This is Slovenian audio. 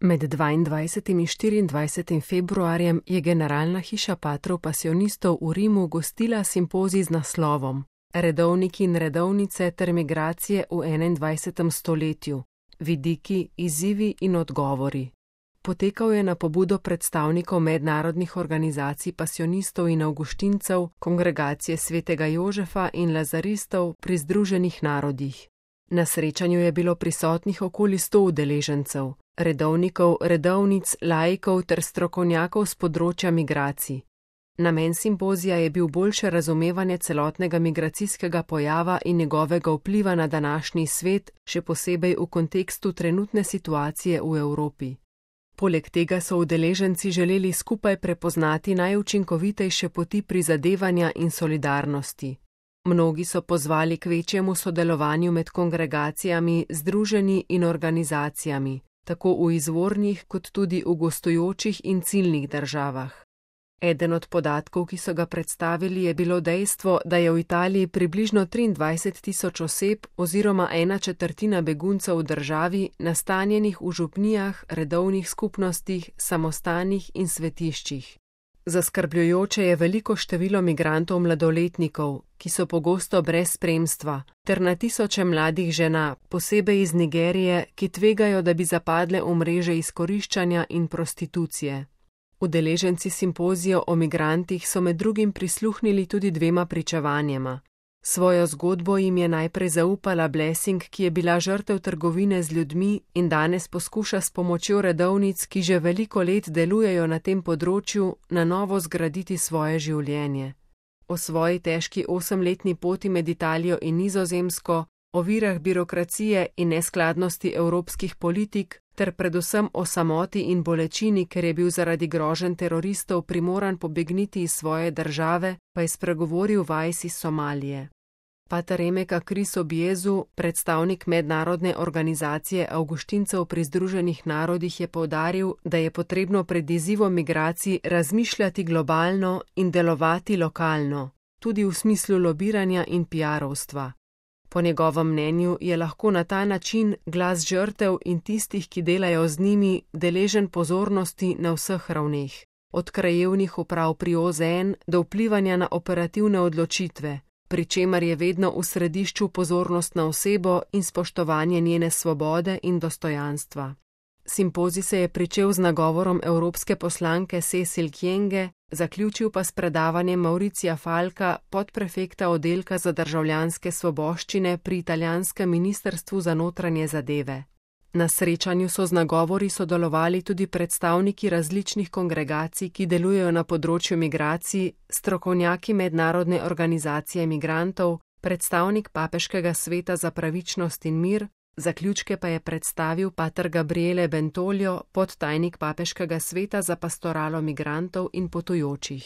Med 22. in 24. februarjem je Generalna hiša patrov pasionistov v Rimu gostila simpozij z naslovom Redovniki in redovnice ter migracije v 21. stoletju. Vidiki, izzivi in odgovori. Potekal je na pobudo predstavnikov mednarodnih organizacij pasionistov in avguštincev, Kongregacije svetega Jožefa in lazaristov pri Združenih narodih. Na srečanju je bilo prisotnih okoli 100 udeležencev, redovnikov, redovnic, laikov ter strokovnjakov z področja migracij. Namen simpozija je bil boljše razumevanje celotnega migracijskega pojava in njegovega vpliva na današnji svet, še posebej v kontekstu trenutne situacije v Evropi. Poleg tega so udeleženci želeli skupaj prepoznati najučinkovitejše poti prizadevanja in solidarnosti. Mnogi so pozvali k večjemu sodelovanju med kongregacijami, združenji in organizacijami, tako v izvornih kot tudi v gostujočih in ciljnih državah. Eden od podatkov, ki so ga predstavili, je bilo dejstvo, da je v Italiji približno 23.000 oseb oziroma 1/4 beguncev v državi nastanjenih v župnijah, redovnih skupnostih, samostanih in svetiščih. Zaskrbljujoče je veliko število migrantov mladoletnikov, ki so pogosto brez spremstva, ter na tisoče mladih žena, posebej iz Nigerije, ki tvegajo, da bi zapadle v mreže izkoriščanja in prostitucije. Udeleženci simpozija o migrantih so med drugim prisluhnili tudi dvema pričevanjema. Svojo zgodbo jim je najprej zaupala Blessing, ki je bila žrtev trgovine z ljudmi in danes poskuša s pomočjo redovnic, ki že veliko let delujejo na tem področju, na novo zgraditi svoje življenje. O svoji težki 8-letni poti med Italijo in Nizozemsko, o virah birokracije in neskladnosti evropskih politik, ter predvsem o samoti in bolečini, ker je bil zaradi groženj teroristov primoran pobegniti iz svoje države, pa je spregovoril Vajs iz Somalije. Pater Emeka Kris Objezu, predstavnik mednarodne organizacije avguštincev pri Združenih narodih, je poudaril, da je potrebno pred izzivom migracij razmišljati globalno in delovati lokalno, tudi v smislu lobiranja in PR-ovstva. Po njegovem mnenju je lahko na ta način glas žrtev in tistih, ki delajo z njimi, deležen pozornosti na vseh ravneh, od krajevnih uprav pri OZN do vplivanja na operativne odločitve, pri čemer je vedno v središču pozornost na osebo in spoštovanje njene svobode in dostojanstva. Simpozij se je pričel z nagovorom evropske poslanke Cecil Kyenge, zaključil pa s predavanjem Mauricija Falka, podprefekta oddelka za državljanske svoboščine pri italijanskem ministrstvu za notranje zadeve. Na srečanju so z nagovori sodelovali tudi predstavniki različnih kongregacij, ki delujejo na področju migracij, strokovnjaki mednarodne organizacije migrantov, predstavnik Papeškega sveta za pravičnost in mir, zaključke pa je predstavil pater Gabriele Bentolio, podtajnik Papeškega sveta za pastoralo migrantov in potujočih.